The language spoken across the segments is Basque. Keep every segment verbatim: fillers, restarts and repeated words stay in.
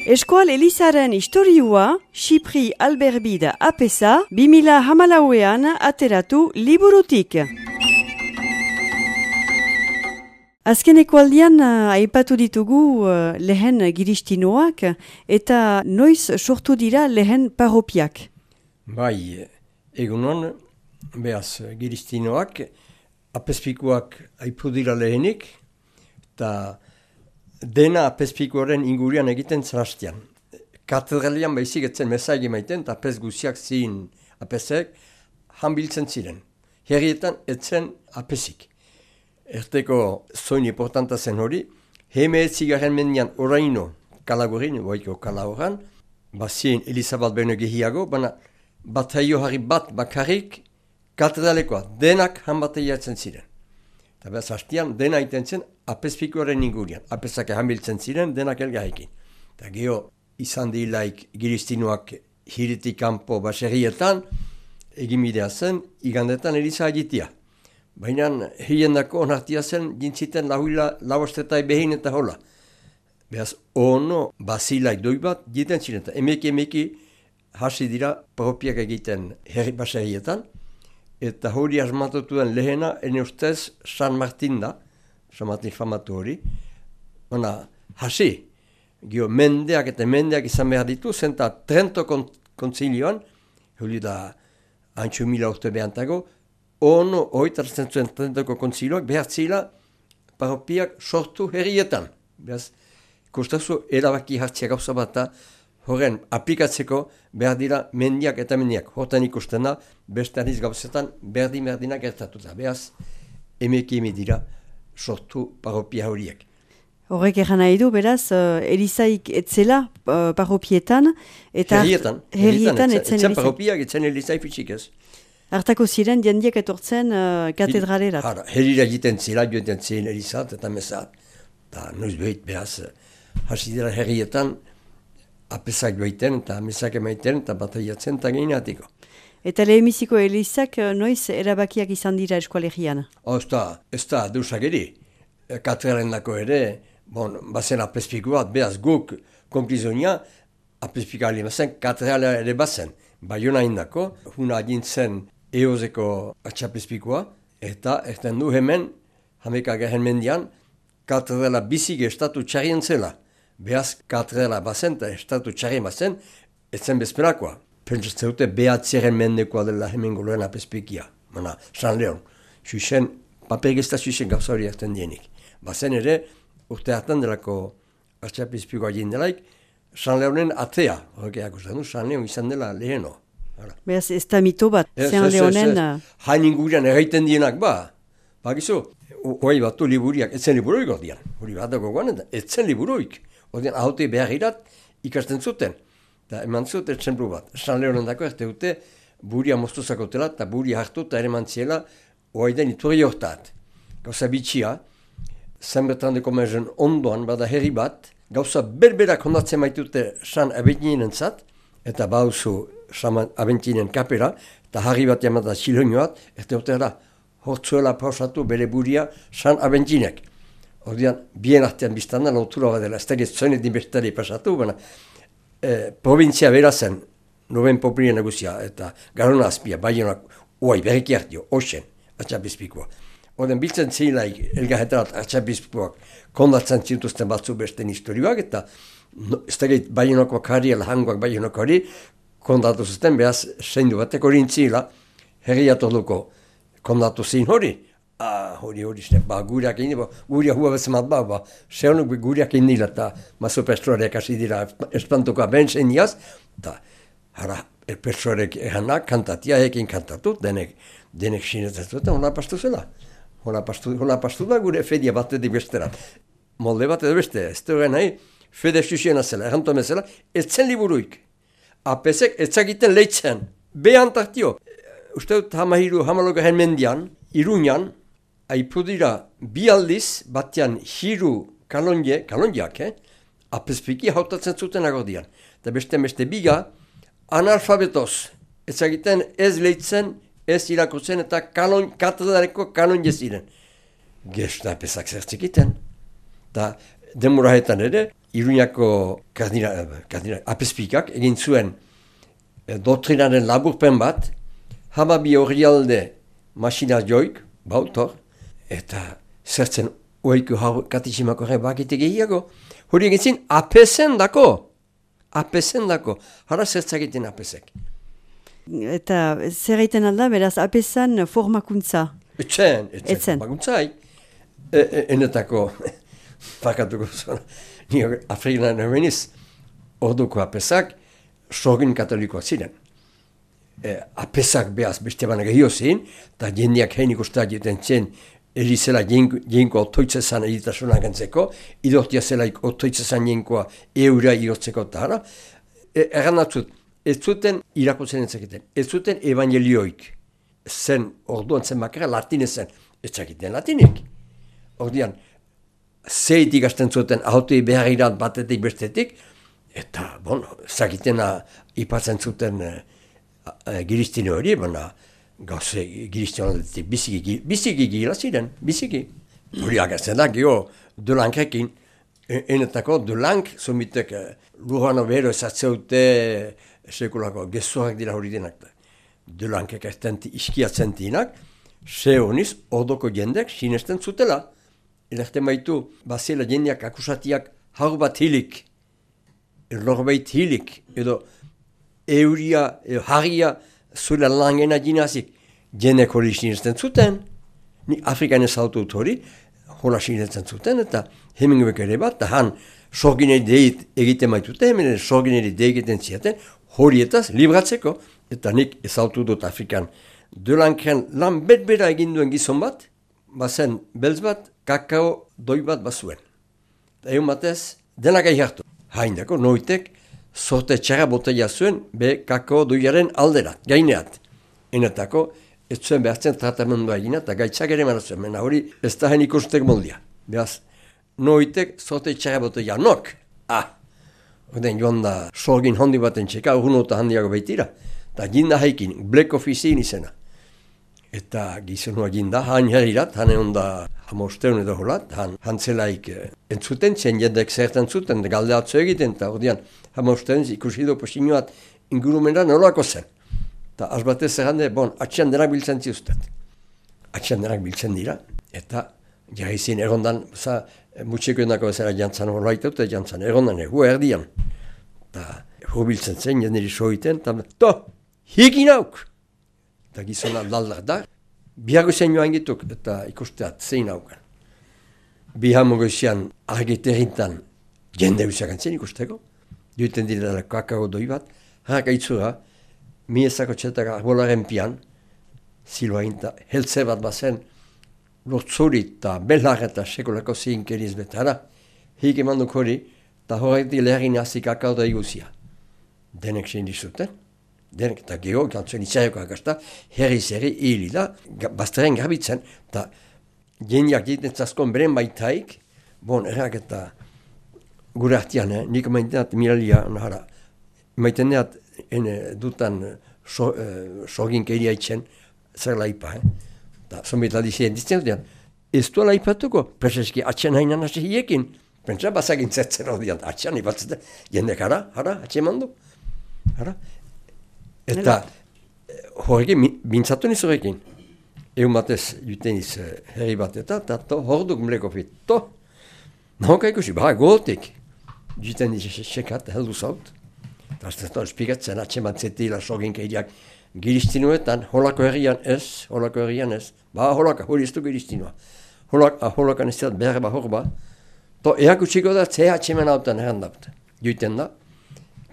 Eskual Elizaren historiua, Xipri Alberbida apesa, bi mila hamalauean ateratu liburutik. Azkeneko aldian uh, aipatu ditugu uh, lehen giristinoak eta noiz sortu dira lehen parropiak. Bai, egunon, behaz giristinoak, apespikuak aipu dira lehenik, eta dena apespikuaren ingurian egiten zarastian. Katedralian baizik etzen mesaigi maiten, eta apes guziak ziin apesek hanbiltzen ziren. Herrietan etzen apesik. Erteko zoin importanta zen hori, heme etzigaren mendian oraino kalagurin, boiko kalagoran, bazien Elizabeth beno gehiago, baina bataio harri bat bakarrik katedralekoa, denak hanbateia etzen ziren. Eta behaz hastian, dena iten zen apespikoaren ingurian. Apesak hamiltzen ziren, denak elgahekin. Eta geho, izan dilaik giristinoak hiritik kanpo baserrietan, egimidea zen, igandetan Eliza agitia. Baina hiendako onartia zen, jintziten lahuila lauastetai behin eta hola. Behaz, ono basilai doi bat, jiten ziren. Eta emeki emeki hasi dira propiak egiten herri baserrietan, eta hori asmatutuen lehena, ene ustez, San Martin da, San Martin famatu hori. Ona, hasi, gio mendeak eta mendeak izan behar ditu, zenta Trento kontzilioan, hori da, antxu mila urte behantago, ono oitartzen zuen Trentoko kontzilioak behar zila parropiak sortu herrietan. Behaz, kustazu erabaki hartzia gauza bat, horren aplikatzeko behar dira mendiak eta mendiak. Hortan ikusten da, beste aniz gauzetan berdin-berdinak gertatuta. Behaz, emeki eme dira sortu parropia horiek. Horrek egan nahi du, beraz, uh, Elizaik etzela uh, parropietan. Eta herrietan. Herrietan etzen, etzen parropiak, etzen Elizaik fitxik ez. Hartako ziren, jendiek etortzen uh, katedralerat. Hara, herrira egiten zila, joeten ziren Elizat eta mesat. Eta noiz behit, behaz, hasi dira herrietan, apesak joiten eta mesak emaiten eta bataiatzen eta gehinatiko. Eta lehenbiziko Elizak noiz erabakiak izan dira eskualegian? Oh, ez da, ez da, deusak ere. Katedralen dako ere, bon, bazen apespiko bat, behaz guk konplizonia, apespika alimazen, katedrala ere bazen. Baiona indako, huna agintzen eozeko atxapespikoa, eta erten du hemen, hameka gehen mendian, katedrala bizige estatu txarien zela. Behaz katedrala bazen eta estatu txarien bazen, etzen bezperakoa. Pentsatzen dute behatziaren mendekoa dela hemen goloen apespikia. Mana, San Leon, xuxen, papergezta xuxen gauza hori erten dienik. Bazen ere, urte hartan delako atxapespikoa jindelaik, San Leonen atea, horrekeak uste du, San Leon izan dela leheno. Beraz, ez da mito bat, San Leonen... Hain ingurian erraiten dienak, ba, bakizu, hoi batu liburiak, etzen liburuik ordean, hori bat dago guanen, etzen liburuik, ordean ahote behar irat ikasten zuten, eta eman zut etzen buru bat. San Leonen dako erte dute, buria moztuzakotela, eta buria hartu eta ere mantziela, hoi den iturri hortat. Gauza bitxia, zenbertandeko mezen ondoan, bada herri bat, gauza berberak hondatzen maitute San Abentinenen zat, eta bauzu San Abentinen kapera, eta harri bat jamata silonioat, eta urtera hortzuela pausatu bere buria San Abentinek. Ordean, bien artean biztanda, lotura bat dela, ez da gezoenet dinbestari pasatu, baina eh, provintzia berazen, noben populien neguzia, eta garona azpia, baionak, oai, berriki hartio, osen, atxapizpikoa. Oden biltzen zilaik elgahetarat atxapizpoak kondatzen zintuzten batzu besten historioak, eta no, ez da gait baionakoak harri, elhangoak baionakoak harri, kondatu zuten, behaz, seindu batek hori intzila, herriatoduko kondatu zin hori. Ah, hori hori, ba, gureak indi, ba, gurea hua bezemat ba, ba, sehonuk gureak indila, eta mazu pestroarek hasi dira espantukoa ben zeindiaz, eta hara, pestroarek eganak kantatia, ekin kantatu, denek, denek sinetzen zuten, hona pastu zela. Hona pastu, hona pastu da gure fedia batetik besterat. Molde bat edo beste, ez da nahi, fede xuxiena zela, errantu emezela, etzen liburuik. Apesek etzakiten leitzen, behan tartio. Uste dut hamahiru, hamalogahen mendian, Iruñan, aipu dira bi aldiz, batean hiru kalonje, kalonjeak, eh? Apespiki hautatzen zuten agordian. Eta beste beste biga, analfabetoz, etzakiten ez leitzen, ez irakurtzen eta kalon, katedraleko kalonje ziren. Gesta apesak zertzikiten. Eta demurahetan ere, Iruñako kardinal, kardinal apespikak egin zuen e, doktrinaren laburpen bat, hamabi horrialde masina joik, bautor, eta zertzen oiku hau katizimako horre bakite gehiago, hori egin zin apesen dako, apesen dako, hara zertzakiten apesek. Eta zer egiten alda, beraz, apesan formakuntza? Etzen, etzen, etzen. Formakuntzai. E, e, enetako, fakatuko zona, nio Afrikan ebeniz, orduko apesak, sorgin katolikoak ziren. E, apesak behaz beste baina gehiago zin, eta jendeak hein ikustak jeten zen, erizela jenko otoitzezan editasuna gantzeko, idortia zelaik otoitzezan jenkoa eura irotzeko eta hara, e, erranatzut, ez zuten irakutzen entzaketen, ez zuten evangelioik, zen orduan zen bakara latinez zen, ez zakiten latinik. Ordian, zeitik hasten zuten haute beharrirat batetik bestetik, eta, bon, zakitena ipatzen zuten e, e, giristine hori, baina gauze giristine hori biziki, biziki gila ziren, biziki. Hori agertzen da, geho, Delankrekin, e, enetako Delank, zomitek e, lurrano behero ezatzeute sekulako gezoak dira hori denak. Delankek iskiatzen dinak, ze honiz, ordoko jendek sinesten zutela. Elerten baitu, bazela jendeak akusatiak hau bat hilik, elorbait hilik, edo euria, edo harria, zure langena jinazik, jendek hori sinesten zuten. Ni Afrikan ez autut hori, hola sinesten zuten, eta heminguek ere bat, eta han sorgineri deit egiten baitute, hemen sorgineri deit egiten ziaten, horietaz libratzeko, eta nik ez autut dut Afrikan. Delankren lan betbera eginduen gizon bat, bazen beltz bat, kakao doi bat bazuen. Eta egun batez, denak aihartu. Haindako, noitek, sorte txarra botella zuen, be kakao doiaren alderat, gaineat. Enetako, ez zuen behartzen tratamendua egina, eta gaitzak ere mara zuen, mena hori ez da hen ikustek moldia. Beaz, noitek, sorte txarra botella nok. Ah, ordein joan da, sorgin handi baten txeka, urunota handiago baitira. Eta jinda haikin, Black Officein izena. Eta gizonua jinda, han herrirat, han egon da hamosteun edo holat, han, han zelaik eh, entzuten, zen jendek zertan zuten, galde atzo egiten, eta ordean hamosteun ikusi do posinoat ingurumena nolako zen. Eta azbatez zerrande, bon, atxean denak biltzen ziustet. Atxean denak biltzen dira, eta jaizin egondan, za, mutxeko endako bezala jantzan horlaitut, eta jantzan egondan egu erdian. Eta egu biltzen zen, jenderi soiten, eta to, hikin hauk! Eta gizona laldak da, bihago zen joan gituk eta ikusteat zein haukan. Bihamo goizian argiterintan jende usiak antzen ikusteko, duiten direla kakao doi bat, haraka itzura, miezako txetak arbolaren pian, ziloa ginta, heltze bat bazen, lortzuri eta belhar eta sekolako zinkeriz betara, hik eman duk hori, eta horretik leherin hasi kakao da iguzia. Denek zein dizuten. Denek eta geho, gantzuen itxareko agasta, herri-zerri hili da, bazteren garbitzen, eta jeniak diten zaskon beren baitaik, bon, errak eta gure artian, eh? Nik maiteat miralia, nahara, maiten deat, ene dutan so, eh, sorgin keria itxen, zer laipa, eh? Eta zombit aldizien ditzen dutean, ez du laipatuko, preseski atxen hainan hasi hiekin, pentsa bazagin zertzen hodian, atxean ipatzete, jendek hara, hara, atxen mandu, hara, eta horrekin, bintzatu niz horrekin. Egun batez juten iz herri bat eta, eta to, horduk mleko fit. To, nahoka ikusi, ba, gotik. Juten iz sekat, heldu zaut. Eta aztetan espikatzen, atxe batzetila sogin keidiak giristinuetan, holako herrian ez, holako herrian ez. Ba, holaka, hori ez du giristinua. Holaka, holakan ez dut behar ba hor ba. To, eak utsiko da, ze atxemen hautan errandapt. Juten da,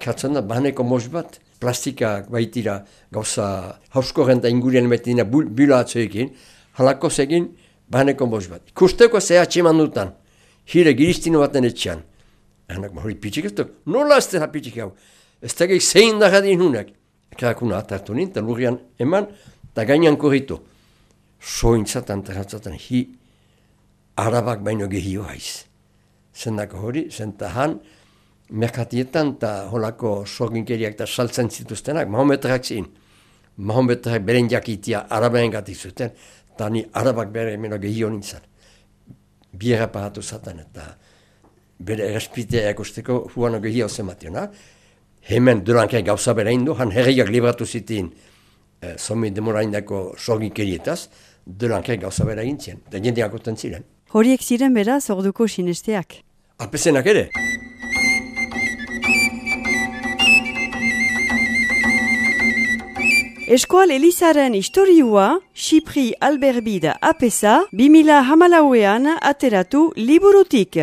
katzen da, bahaneko mos bat, plastikak baitira gauza hauskoren eta ingurien betina bila atzoekin, halako zegin bahaneko mos bat. Ikusteko ze atxeman dutan, hire giristino baten etxean. Hanak hori pitzik ez duk, nola ez dela pitzik hau? Ez tegek zein da jadin hunak. Ekrakuna atartu nint, eta lurrian eman, eta gainan korritu. Sointzatan, terratzatan, hi arabak baino gehio haiz. Zendako hori, zentahan, merkatietan eta holako sorginkeriak eta saltzen zituztenak, mahometrak zin. Mahometrak beren jakitia arabaen gatik zuten, eta ni arabak bere emeno gehio nintzen. Biera paratu zaten eta bere errespitea ekosteko huano gehia ozen mationa. Hemen Delancre gauza bera indu, han herriak libratu zitin eh, zomi demoraindako sorginkerietaz, Delancre gauza bera gintzien, da jendeak oten ziren. Horiek ziren beraz orduko sinesteak. Apesenak ere. Eskual Elizaren historiua, Xipri Alberbida apesa, bi mila hamalauean ateratu liburutik.